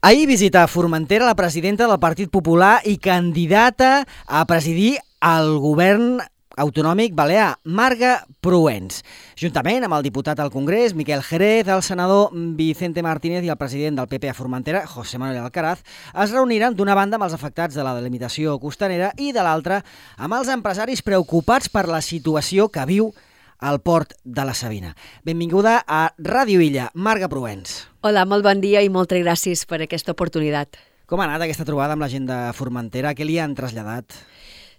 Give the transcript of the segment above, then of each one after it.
Ahir visita a Formentera la presidenta del Partit Popular i candidata a presidir el govern autonòmic balear, Marga Proens. Juntament amb el diputat al Congrés, Miquel Jerez, el senador Vicente Martínez i el president del PP a Formentera, José Manuel Alcaraz, es reuniran d'una banda amb els afectats de la delimitació costanera i de l'altra amb els empresaris preocupats per la situació que viu al port de la Sabina. Benvinguda a Ràdio Illa, Marga Proens. Hola, molt bon dia i moltes gràcies per aquesta oportunitat. Com ha anat aquesta trobada amb la gent de Formentera? Què li han traslladat?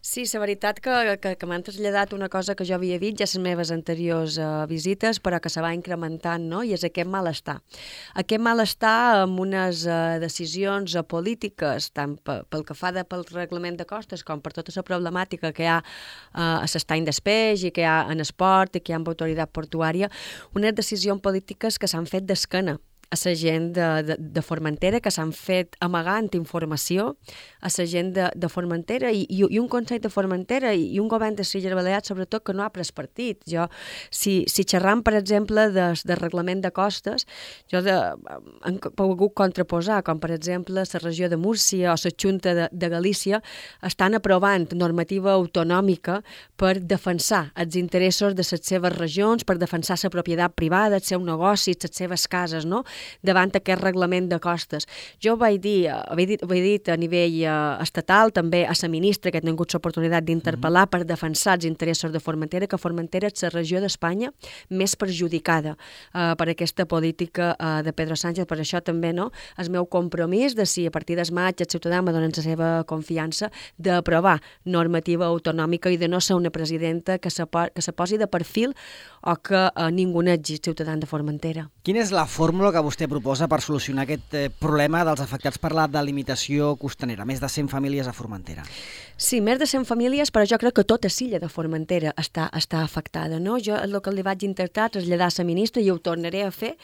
Sí, la veritat que m'han traslladat una cosa que jo havia dit ja les meves anteriors visites, però que se va incrementant, no? I és aquest malestar. Aquest malestar amb unes decisions polítiques, tant pel que fa pel reglament de costes com per tota la problemàtica que hi ha a l'estany d'espeix i que hi ha en esport i que hi ha amb autoritat portuària, unes decisions polítiques que s'han fet d'esquena a la gent de Formentera, que s'han fet amagant informació a la gent de Formentera i un Consell de Formentera i un govern de les Illes Balears, sobretot, que no ha pres partit. Si xerram, per exemple, de reglament de costes, han pogut contraposar, com per exemple la regió de Múrcia o la Junta de Galícia, estan aprovant normativa autonòmica per defensar els interessos de les seves regions, per defensar la propietat privada, el seu negoci, les seves cases, no?, davant aquest reglament de costes. Jo ho vaig dir a nivell estatal, també a la ministra, que he tingut l'oportunitat d'interpel·lar per defensar els interessos de Formentera, que Formentera és la regió d'Espanya més perjudicada per aquesta política de Pedro Sánchez. Per això també, no?, el meu compromís de si a partir del maig el ciutadà me donen la seva confiança d'aprovar normativa autonòmica i de no ser una presidenta que se posi de perfil o que ningunegi els ciutadans de Formentera. Quina és la fórmula que vostè proposa per solucionar aquest problema dels afectats per la delimitació costanera? Més de 100 famílies a Formentera. Sí, més de 100 famílies, però jo crec que tota l'illa de Formentera està afectada, no? Jo el que li vaig intentar traslladar a la ministra i ho tornaré a fer,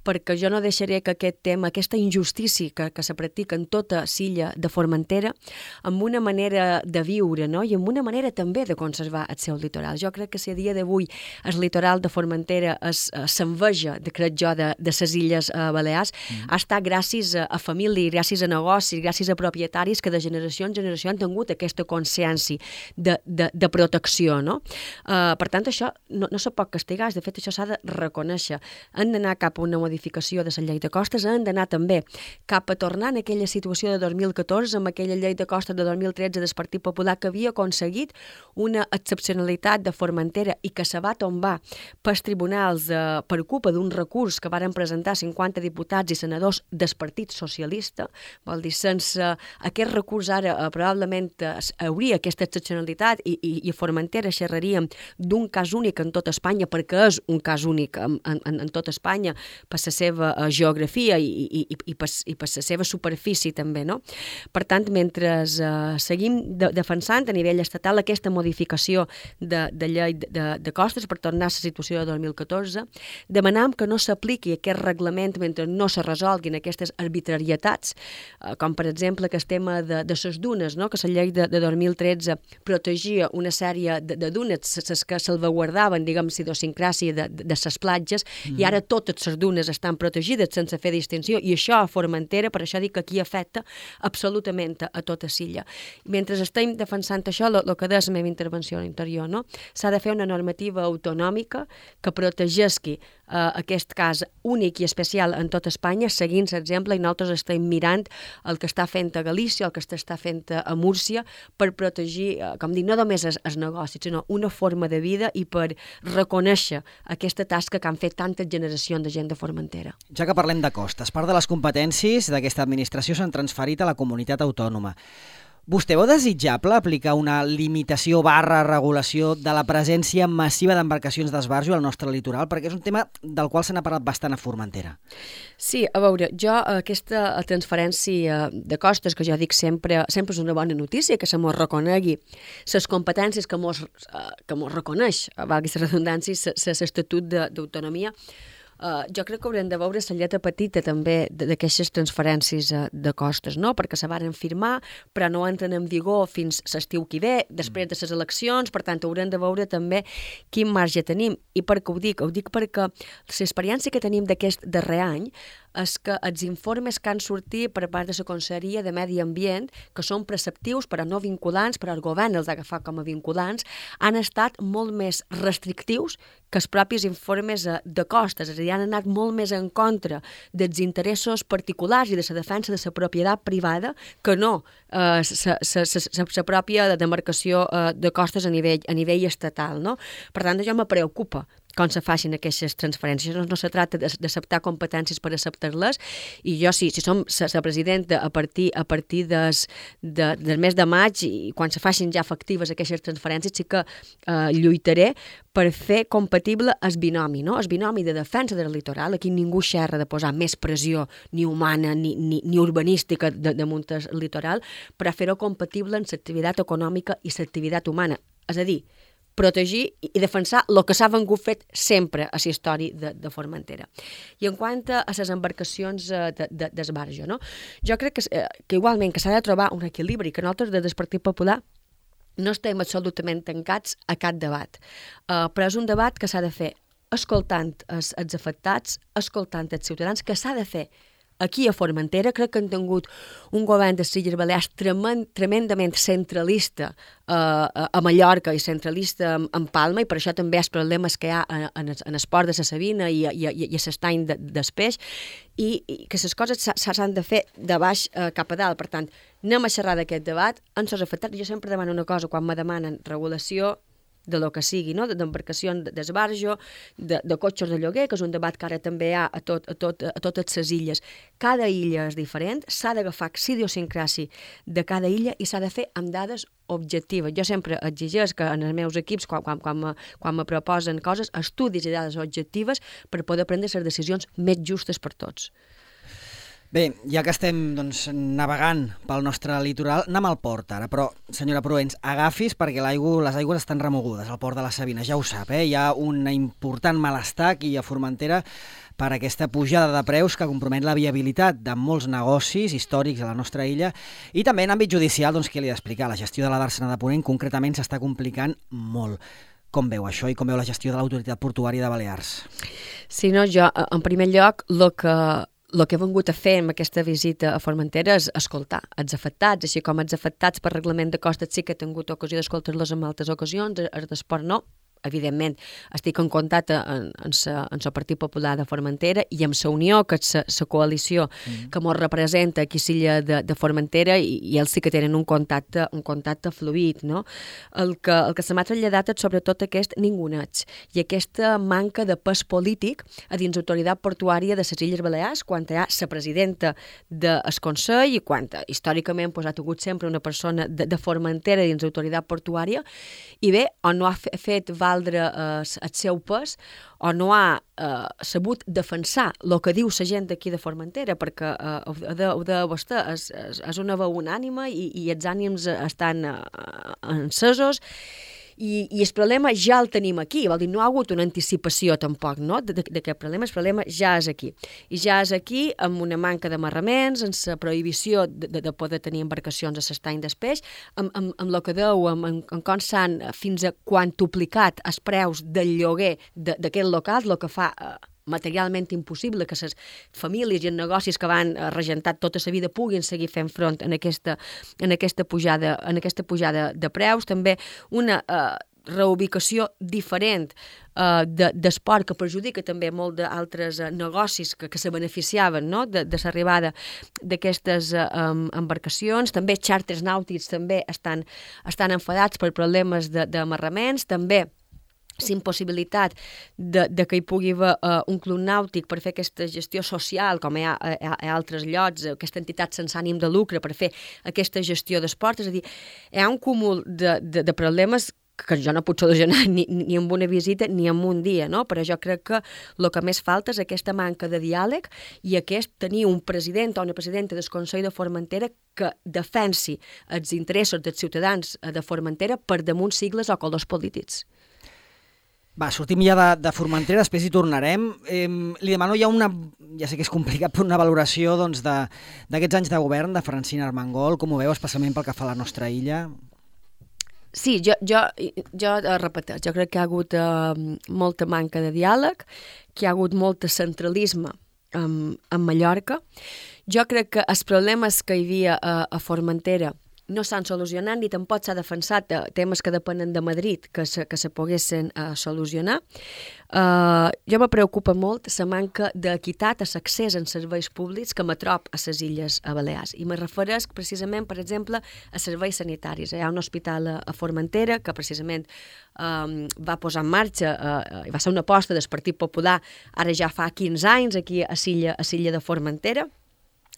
perquè jo no deixaré que aquest tema, aquesta injustícia que se practica en tota l'illa de Formentera, amb una manera de viure, no?, i amb una manera també de conservar el seu litoral. Jo crec que si a dia d'avui el litoral de Formentera s'enveja, crec jo, de les Illes Balears, ha estat gràcies a famílies, gràcies a negocis, gràcies a propietaris que de generació en generació han tingut aquesta consciència de protecció, no? Per tant, això no se pot castigar, de fet, això s'ha de reconèixer. Han d'anar cap a una modificació de la llei de costes, han d'anar també cap a tornar en aquella situació de 2014, amb aquella llei de costes de 2013 del Partit Popular que havia aconseguit una excepcionalitat de Formentera i que se va tombar pels tribunals per culpa d'un recurs que varen presentar 50 diputats i senadors del Partit Socialista. Vol dir, sense aquest recurs ara probablement hauria aquesta excepcionalitat i a Formentera xerraríem d'un cas únic en tota Espanya, perquè és un cas únic en tota Espanya, per la seva geografia i per la seva superfície també, no? Per tant, mentre seguim defensant a nivell estatal aquesta modificació de llei de costes per tornar a la situació de 2014, demanam que no s'apliqui aquest reglament mentre no se resolguin aquestes arbitrarietats, com per exemple aquest tema de les dunes, no?, que la llei de 2013 protegia una sèrie de dunes, les que salvaguardaven, diguem, la idiosincràsia de les platges, i ara totes les dunes estan protegides sense fer distinció, i això a Formentera, per això dic que aquí afecta absolutament a tota l'illa. Mentre estem defensant això, el que deia la meva intervenció interior, no?, s'ha de fer una normativa autonòmica que protegesqui aquest cas únic i especial en tota Espanya, seguint l'exemple, i nosaltres estem mirant el que està fent a Galícia, el que està fent a Múrcia, per protegir, com dic, no només els negocis, sinó una forma de vida i per reconèixer aquesta tasca que han fet tantes generacions de gent de Formentera. Ja que parlem de costes, part de les competències d'aquesta administració s'han transferit a la comunitat autònoma. Vostè veu desitjable aplicar una limitació regulació de la presència massiva d'embarcacions d'esbarjo al nostre litoral? Perquè és un tema del qual se n'ha parlat bastant a Formentera. Sí, a veure, jo aquesta transferència de costes, que jo dic sempre és una bona notícia, que se mos reconegui les competències que mos reconeix, valgui la redundància, l'Estatut d'Autonomia. Jo crec que haurem de veure la lletra petita també d'aquestes transferències de costes, no? Perquè se varen firmar, però no entren en vigor fins l'estiu que ve, després de les eleccions, per tant haurem de veure també quin marge tenim. I per què ho dic? Ho dic perquè l'experiència que tenim d'aquest darrer any és que els informes que han sortit per part de la Conselleria de Medi Ambient, que són preceptius però no vinculants, però el govern els ha agafat com a vinculants, han estat molt més restrictius que els propis informes de costes, és a dir, han anat molt més en contra dels interessos particulars i de la defensa de la propietat privada que no la pròpia demarcació de costes a nivell estatal. No? Per tant, això me preocupa com se facin aquestes transferències. No se tracta d'acceptar competències per acceptar-les, i jo, si som la presidenta a partir del mes de maig, i quan se facin ja efectives aquestes transferències, sí que lluitaré per fer compatible el binomi, no? El binomi de defensa del litoral. Aquí ningú xerra de posar més pressió ni humana ni urbanística damunt el litoral, per a fer-ho compatible amb l'activitat econòmica i l'activitat humana. És a dir, protegir i defensar el que s'ha vengut fet sempre a la història de Formentera. I en quant a les embarcacions d'esbarjo, no? Jo crec que igualment que s'ha de trobar un equilibri, que nosaltres des del Partit Popular no estem absolutament tancats a cap debat, però és un debat que s'ha de fer escoltant els afectats, escoltant els ciutadans, que s'ha de fer aquí a Formentera. Crec que han tingut un govern de les Illes Balears tremendament centralista a Mallorca i centralista en Palma, i per això també els problemes que hi ha en el port de la Sabina i a l'estany del peix, i que les coses s'han de fer de baix cap a dalt. Per tant, anem a xerrar d'aquest debat en els afectats. Jo sempre demano una cosa quan me demanen regulació de lo que sigui, no? D'embarcacions d'esbarjo, de cotxes de lloguer, que és un debat que ara també hi ha a totes les illes. Cada illa és diferent, s'ha d'agafar la idiosincràsia de cada illa i s'ha de fer amb dades objectives. Jo sempre exigeix que en els meus equips, quan me proposen coses, estudis i dades objectives per poder prendre les decisions més justes per tots. Bé, ja que estem navegant pel nostre litoral, anem al port ara, però, senyora Proens, agafis perquè les aigües estan remogudes al port de la Sabina, ja ho sap, hi ha un important malestar aquí a Formentera per aquesta pujada de preus que compromet la viabilitat de molts negocis històrics a la nostra illa, i també en àmbit judicial, què li he d'explicar? La gestió de la Dàrsena de Ponent concretament s'està complicant molt. Com veu això i com veu la gestió de l'autoritat portuària de Balears? Sí, no, jo, en primer lloc, el que he vengut a fer amb aquesta visita a Formentera és escoltar els afectats, així com els afectats per reglament de costes sí que he tingut ocasió d'escoltar-los en altres ocasions, els d'esport no. Evidentment, estic en contacte amb el Partit Popular de Formentera i amb la Unió, que és la coalició que ens representa aquí a l'illa de Formentera, i ells sí que tenen un contacte fluid, no? El que se m'ha traslladat és sobretot aquest ninguneig i aquesta manca de pes polític a dins l'autoritat portuària de les Illes Balears, quan hi ha la presidenta del Consell i quan històricament ha hagut sempre una persona de Formentera dins l'autoritat portuària, i bé, o no ha fet valdre el seu pes, o no ha sabut defensar el que diu la gent d'aquí de Formentera, perquè ho de vostè, és una veu unànime i els ànims estan encesos, i el problema ja el tenim aquí, vol dir, no ha hagut una anticipació tampoc, no?, d'aquest problema. El problema ja és aquí, i ja és aquí amb una manca d'amarraments, amb la prohibició de poder tenir embarcacions a l'estany del peix, amb el que deu, amb com s'han fins a quantuplicat els preus del lloguer d'aquest local, el que fa materialment impossible que les famílies i els negocis que van regentar tota la vida puguin seguir fent front en aquesta pujada de preus. També una reubicació diferent d'esport que perjudica també molt d'altres negocis que se beneficiaven, no?, de l'arribada d'aquestes embarcacions. També xàrters nàutics també estan enfadats per problemes d'amarraments, també l'impossibilitat que hi pugui haver un club nàutic per fer aquesta gestió social, com hi ha a altres llocs, aquesta entitat sense ànim de lucre per fer aquesta gestió d'esport. És a dir, hi ha un cúmul de problemes que jo no puc solucionar ni amb una visita ni en un dia, no? Però jo crec que el que més falta és aquesta manca de diàleg i tenir un president o una presidenta del Consell de Formentera que defensi els interessos dels ciutadans de Formentera per damunt sigles o colors polítics. Va, sortim ja de Formentera, després hi tornarem. Li demano ja sé que és complicat, però una valoració d'aquests anys de govern de Francina Armengol, com ho veu, especialment pel que fa a la nostra illa? Sí, jo repeteixo, jo crec que hi ha hagut molta manca de diàleg, que hi ha hagut molt centralisme en Mallorca. Jo crec que els problemes que hi havia a Formentera no s'han solucionat ni tampoc s'ha defensat temes que depenen de Madrid que se poguessin solucionar. Jo me preocupa molt la manca d'equitat a l'accés en serveis públics que m'atrop a les Illes Balears. I me refereix precisament, per exemple, a serveis sanitaris. Hi ha un hospital a Formentera que precisament va posar en marxa, va ser una aposta del Partit Popular ara ja fa 15 anys aquí a l'illa de Formentera,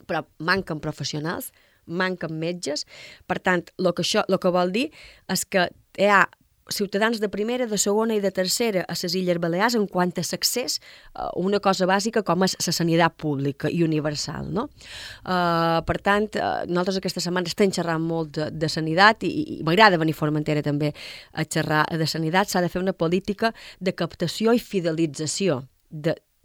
però manquen professionals, manquen metges. Per tant, el que vol dir és que hi ha ciutadans de primera, de segona i de tercera a les Illes Balears en quant a l'accés a una cosa bàsica com és la sanitat pública i universal, no? Per tant, nosaltres aquesta setmana estem xerrant molt de sanitat i m'agrada venir a Formentera també a xerrar de sanitat. S'ha de fer una política de captació i fidelització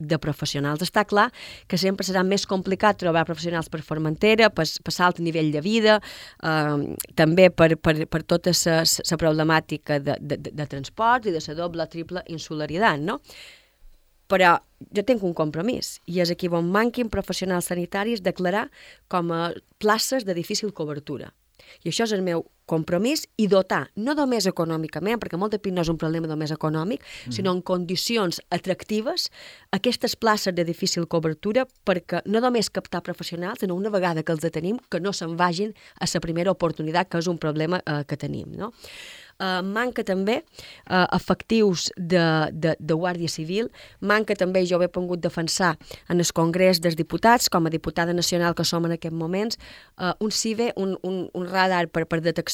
de professionals. Està clar que sempre serà més complicat trobar professionals per Formentera, per l'alt nivell de vida, també per tota la problemàtica de transport i de la doble o triple insularitat, no? Però jo tinc un compromís, i és aquí on manquin professionals sanitaris declarar com a places de difícil cobertura. I això és el meu compromís, i dotar, no només econòmicament, perquè molt de PIN no és un problema només econòmic, sinó en condicions atractives, aquestes places de difícil cobertura, perquè no només captar professionals, sinó una vegada que els tenim, que no se'n vagin a la primera oportunitat, que és un problema que tenim, no? Manca també efectius de Guàrdia Civil, manca també, jo ho he pogut defensar en el Congrés dels Diputats, com a diputada nacional que som en aquests moments, un CIVE, un radar per detecció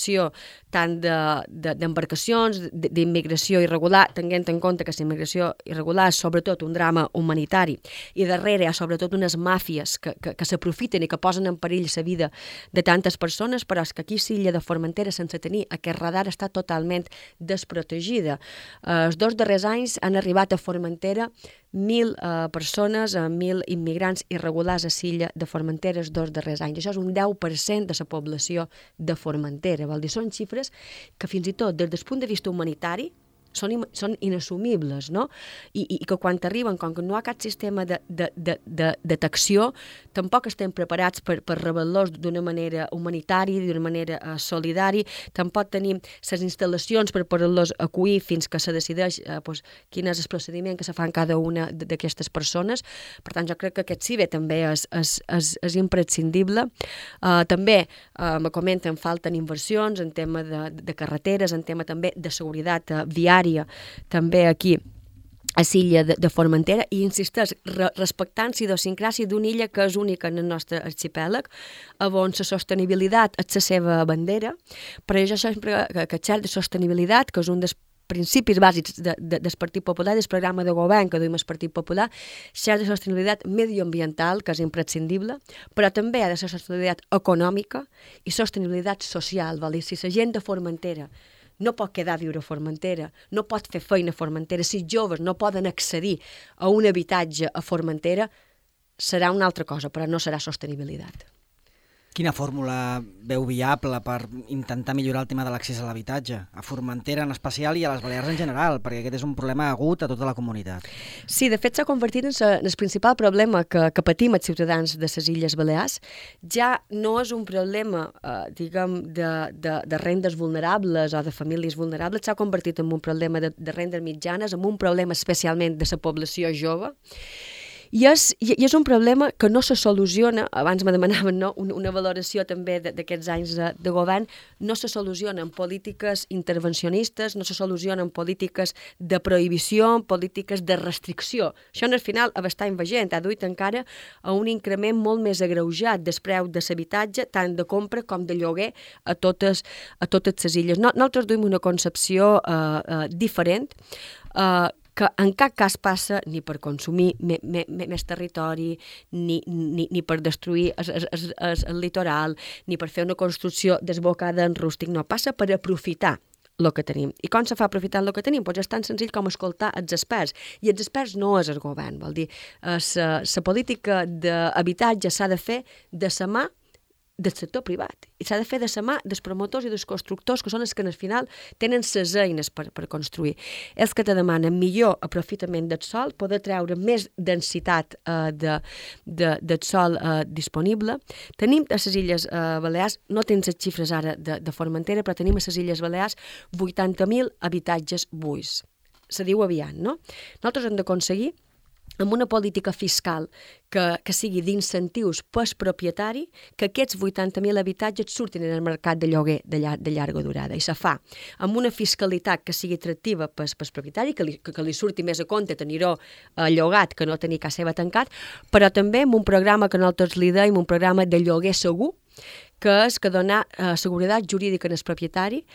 tant d'embarcacions, d'immigració irregular, tenint en compte que la immigració irregular és sobretot un drama humanitari, i darrere hi ha sobretot unes màfies que s'aprofiten i que posen en perill la vida de tantes persones, però és que aquí a l'illa de Formentera, sense tenir aquest radar, està totalment desprotegida. Els 2 darrers anys han arribat a Formentera 1.000 persones, 1.000 immigrants irregulars a l'illa de Formentera els 2 darrers anys. Això és un 10% de la població de Formentera. Vol dir, són xifres que fins i tot des del punt de vista humanitari són inassumibles, no? I que quan arriben, com que no hi ha cap sistema de detecció, tampoc estem preparats per rebel·los d'una manera humanitària, d'una manera solidària, tampoc tenim les instal·lacions per poder-los acollir fins que se decideix quin és el procediment que se fa en cada una d'aquestes persones. Per tant, jo crec que aquest CIVE també és imprescindible. També me comenten, falten inversions en tema de carreteres, en tema també de seguretat viària, també aquí a l'illa de Formentera, i insisteix, respectant la idiosincràsia d'una illa que és única en el nostre arxipèlag, on la sostenibilitat és la seva bandera, però jo sempre que xerro de sostenibilitat, que és un dels principis bàsics del Partit Popular, del programa de govern que duim el Partit Popular, xerra de sostenibilitat medioambiental, que és imprescindible, però també ha de ser sostenibilitat econòmica i sostenibilitat social. Vol dir, si la gent de Formentera no pot quedar a viure a Formentera, no pot fer feina a Formentera, si joves no poden accedir a un habitatge a Formentera, serà una altra cosa, però no serà sostenibilitat. Quina fórmula veu viable per intentar millorar el tema de l'accés a l'habitatge? A Formentera en especial i a les Balears en general, perquè aquest és un problema agut a tota la comunitat. Sí, de fet s'ha convertit en el principal problema que patim els ciutadans de les Illes Balears. Ja no és un problema, diguem, de rendes vulnerables o de famílies vulnerables, s'ha convertit en un problema de rendes mitjanes, en un problema especialment de la població jove. I és un problema que no se soluciona, abans me demanaven una valoració també d'aquests anys de govern, no se soluciona en polítiques intervencionistes, no se soluciona en polítiques de prohibició, en polítiques de restricció. Això, al final, està veient, ha duit encara a un increment molt més agreujat del preu de l'habitatge, tant de compra com de lloguer a totes les illes. Nosaltres duim una concepció diferent, que en cap cas passa ni per consumir més territori, ni per destruir el litoral, ni per fer una construcció desbocada en rústic, no, passa per aprofitar el que tenim. I com se fa aprofitant el que tenim? Doncs és tan senzill com escoltar els experts. I els experts no és el govern, vol dir, la política d'habitatge s'ha de fer de la mà del sector privat. I s'ha de fer de la mà dels promotors i dels constructors, que són els que al final tenen les eines per construir. Els que te demanen millor aprofitament del sol, poder treure més densitat del sol disponible. Tenim a les Illes Balears, no tens les xifres ara de Formentera, però tenim a les Illes Balears 80.000 habitatges buits. Se diu aviat, no? Nosaltres hem d'aconseguir amb una política fiscal que sigui d'incentius pel propietari, que aquests 80.000 habitatges surtin en el mercat de lloguer de llarga durada. I se fa amb una fiscalitat que sigui atractiva pel propietari, que li surti més a compte tenir-ho llogat que no tenir casa seva tancat, però també amb un programa que nosaltres li deim, un programa de lloguer segur, que és que donar seguretat jurídica al propietari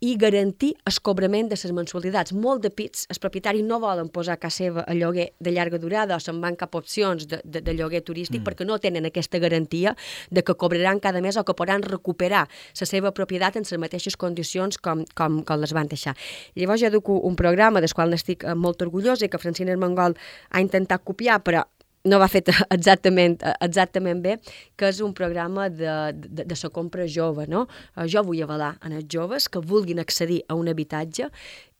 i garantir el cobrament de les mensualitats. Molt de pits, els propietaris no volen posar casa seva a lloguer de llarga durada o se'n van cap a opcions de lloguer turístic perquè no tenen aquesta garantia de que cobraran cada mes o que podran recuperar la seva propietat en les mateixes condicions com les van deixar. Llavors jo duc un programa del qual n'estic molt orgullosa i que Francina Armengol ha intentat copiar, però no va fet exactament bé, que és un programa de la compra jove, no? Jo vull avalar en els joves que vulguin accedir a un habitatge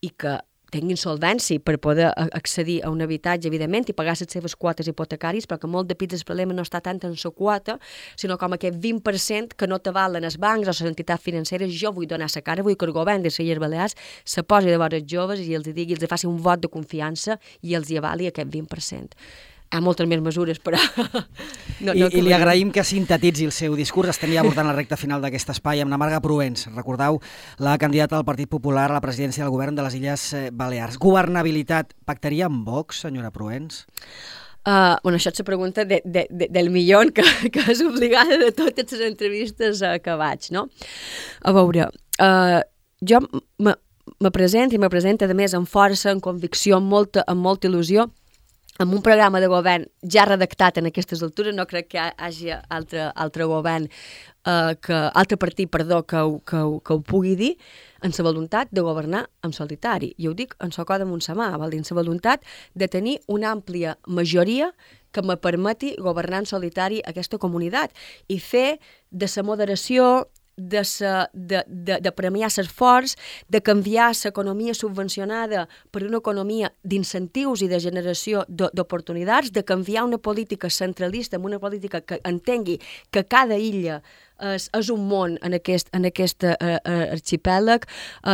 i que tinguin solvència per poder accedir a un habitatge, evidentment, i pagar les seves quotes hipotecàries, però que molt de pits el problema no està tant en la quota, sinó com aquest 20% que no t'avalen els bancs o les entitats financeres. Jo vull donar la cara, vull que el govern de les Illes Balears se posi de vora els joves i els digui, els faci un vot de confiança i els hi avali aquest 20%. Hi ha moltes més mesures, però... I li agraïm que sintetitzi el seu discurs. Estem ja abordant la recta final d'aquest espai amb la Marga Proens. Recordeu, la candidata del Partit Popular a la presidència del govern de les Illes Balears. Governabilitat, pactaria amb Vox, senyora Proens? Això és la pregunta del milió que és obligada de totes les entrevistes que vaig, no? A veure, jo me presento, a més, amb força, amb convicció, amb molta il·lusió, amb un programa de govern ja redactat en aquestes altures. No crec que hi hagi altre govern, altre partit, que ho pugui dir, en la voluntat de governar en solitari. I ho dic en la coda amb sa mà, vol dir, en la voluntat de tenir una àmplia majoria que me permeti governar en solitari aquesta comunitat i fer de la moderació, de premiar l'esforç, de canviar l'economia subvencionada per una economia d'incentius i de generació d'oportunitats, de canviar una política centralista amb una política que entengui que cada illa és un món en aquest arxipèlag,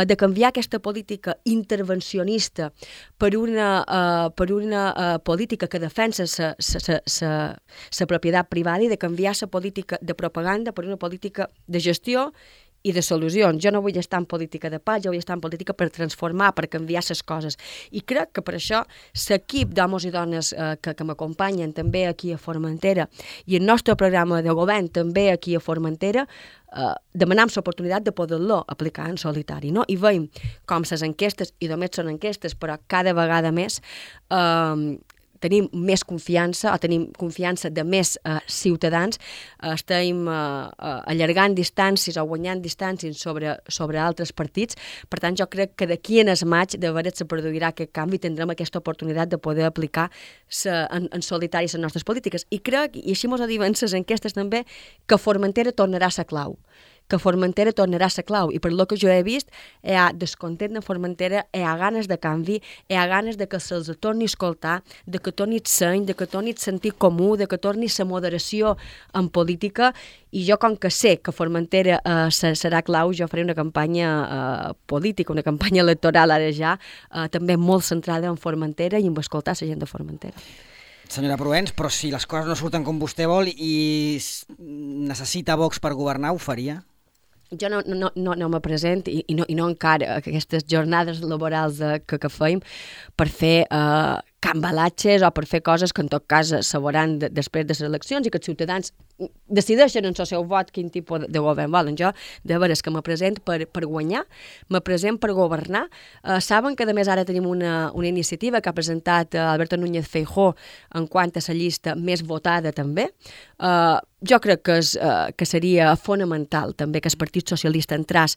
de canviar aquesta política intervencionista per una política que defensa la propietat privada i de canviar la política de propaganda per una política de gestió i de solucions. Jo no vull estar en política de pau, jo vull estar en política per transformar, per canviar les coses. I crec que per això l'equip d'homes i dones que m'acompanyen també aquí a Formentera i el nostre programa de govern també aquí a Formentera demanem l'oportunitat de poder-lo aplicar en solitari, no? I veiem com les enquestes, i només són enquestes, però cada vegada més tenim més confiança, o tenim confiança de més ciutadans, estem allargant distàncies o guanyant distàncies sobre altres partits. Per tant, jo crec que d'aquí en el maig de veres se produirà aquest canvi i tindrem aquesta oportunitat de poder aplicar en solitari les nostres polítiques. I crec, i així mos ho diuen les enquestes també, que Formentera tornarà a ser clau. Que Formentera tornarà a ser clau. I per lo que jo he vist, hi ha descontent de Formentera, hi ha ganes de canvi, hi ha ganes de que se'ls torni a escoltar, de que torni el seny, de que torni el sentit comú, de que torni la moderació en política. I jo, com que sé que Formentera serà clau, jo faré una campanya política, una campanya electoral ara ja, també molt centrada en Formentera i en escoltar la gent de Formentera. Senyora Proens, però si les coses no surten com vostè vol i necessita Vox per governar, ho faria? Jo no me present i no encara aquestes jornades laborals que feim per fer cambalatges o per fer coses que en tot cas se veuran després de les eleccions i que els ciutadans decideixen en el seu vot quin tipus de govern volen. Jo, de veres que me present per guanyar, me present per governar. Saben que, a més, ara tenim una iniciativa que ha presentat Alberto Núñez Feijóo en quant a la llista més votada també. Jo crec que seria fonamental també que el Partit Socialista entràs,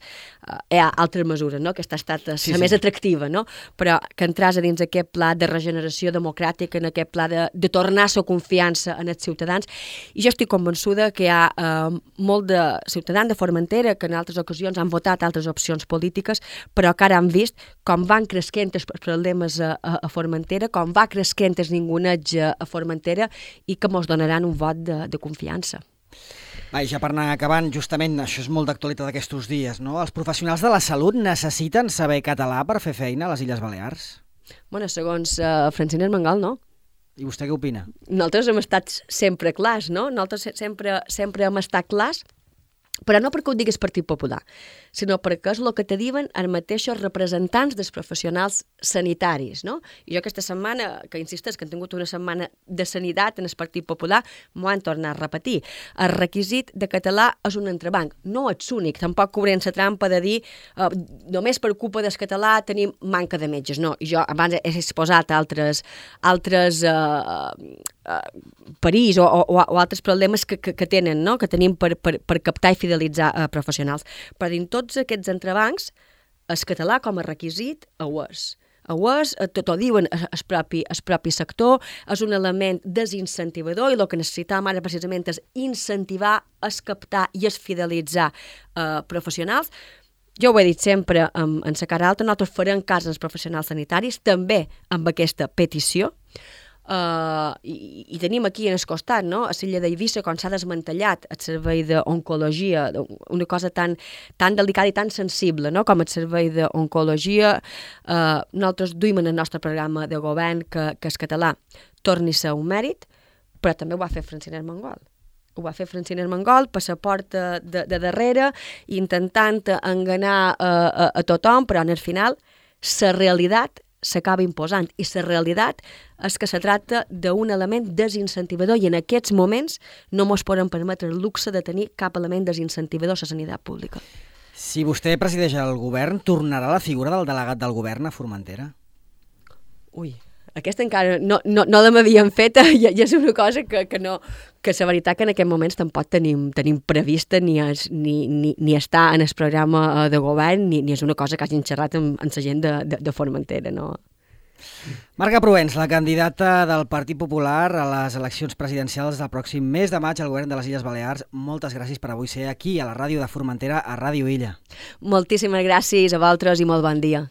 hi ha altres mesures, no? Aquesta ha estat la més atractiva, no? Però que entràs a dins aquest pla de regeneració participació democràtica, en aquest pla de tornar la confiança en els ciutadans, i jo estic convençuda que hi ha molt de ciutadans de Formentera que en altres ocasions han votat altres opcions polítiques, però que ara han vist com van cresquent els problemes a Formentera, com va cresquent el ninguneig a Formentera i que mos donaran un vot de confiança. Va, ja per anar acabant, justament, això és molt d'actualitat d'aquests dies, no? Els professionals de la salut necessiten saber català per fer feina a les Illes Balears? Bueno, segons Francina Armengol, no. I vostè què opina? Nosaltres hem estat sempre clars, no? Nosaltres sempre hem estat clars, però no perquè ho digui el Partit Popular, sinó perquè és el que te diuen els mateixos representants dels professionals sanitaris, no? I jo aquesta setmana, que insisteix que hem tingut una setmana de sanitat en el Partit Popular, m'ho han tornat a repetir. El requisit de català és un entrebanc, no ets únic, tampoc cobrem la trampa de dir només per culpa del català tenim manca de metges, no. I jo abans he exposat altres perills o altres problemes que tenen, no? Que tenim per captar i fidelitzar professionals. Però dins tots aquests entrebancs, el català com a requisit ho és. Tot ho diuen el propi sector, és un element desincentivador i el que necessitem ara precisament és incentivar, es captar i es fidelitzar professionals. Jo ho he dit sempre en la cara alta, nosaltres farem cas als professionals sanitaris, també amb aquesta petició, i tenim aquí en el costat, no? A l'illa d'Eivissa, quan s'ha desmantellat el servei d'oncologia, una cosa tan delicada i tan sensible, no? Com el servei d'oncologia, nosaltres duim en el nostre programa de govern que el català torni a ser un mèrit, però també ho va fer Francina Armengol. Ho va fer Francina Armengol per la porta de darrere, intentant enganar a tothom, però en el final la realitat s'acaba imposant, i la realitat és que se tracta d'un element desincentivador i en aquests moments no ens podem permetre el luxe de tenir cap element desincentivador a la sanitat pública. Si vostè presideix el govern, tornarà la figura del delegat del govern a Formentera? Ui, aquesta encara no l'havíem fet i és una cosa que la veritat que en aquest moments tampoc tenim prevista ni està en el programa de govern ni és una cosa que hagin xerrat amb la gent de Formentera, no? Marga Proens, la candidata del Partit Popular a les eleccions presidencials del pròxim mes de maig al govern de les Illes Balears, moltes gràcies per avui ser aquí a la ràdio de Formentera, a Ràdio Illa. Moltíssimes gràcies a vosaltres i molt bon dia.